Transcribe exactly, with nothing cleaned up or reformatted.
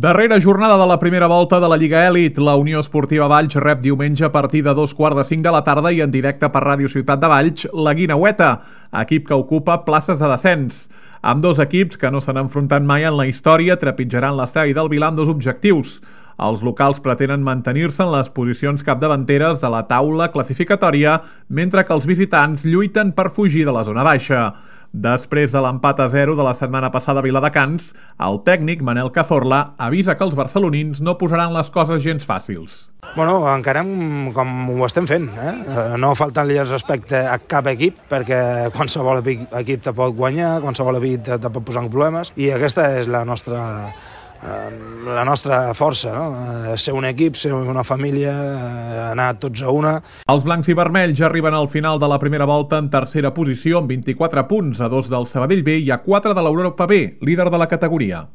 Darrera jornada de la primera volta de la Lliga Elit. La Unió Esportiva Valls rep diumenge a partir de dos quarts de cinc de la tarda i en directe per Ràdio Ciutat de Valls la Guineueta, equip que ocupa places de descens. Ambdós equips, que no s'han enfrontat mai en la història, trepitjaran l'estadi del Vilar amb dos objectius. Els locals pretenen mantenir-se en les posicions capdavanteres de la taula classificatòria, mentre que els visitants lluiten per fugir de la zona baixa. Després de l'empat a zero de la setmana passada a Viladecans, el tècnic Manel Cazorla avisa que els barcelonins no posaran les coses gens fàcils. Bueno, encarem com ho estem fent, eh? No faltant-li el respecte a cap equip, perquè qualsevol equip te pot guanyar, qualsevol equip te, te pot posar en problemes, i aquesta és la nostra... la nostra força, no? Ser un equip, ser una família, anar tots a una. Els blancs i vermells arriben al final de la primera volta en tercera posició amb vint-i-quatre punts, a dos del Sabadell B i a quatre de l'Europa B, líder de la categoria.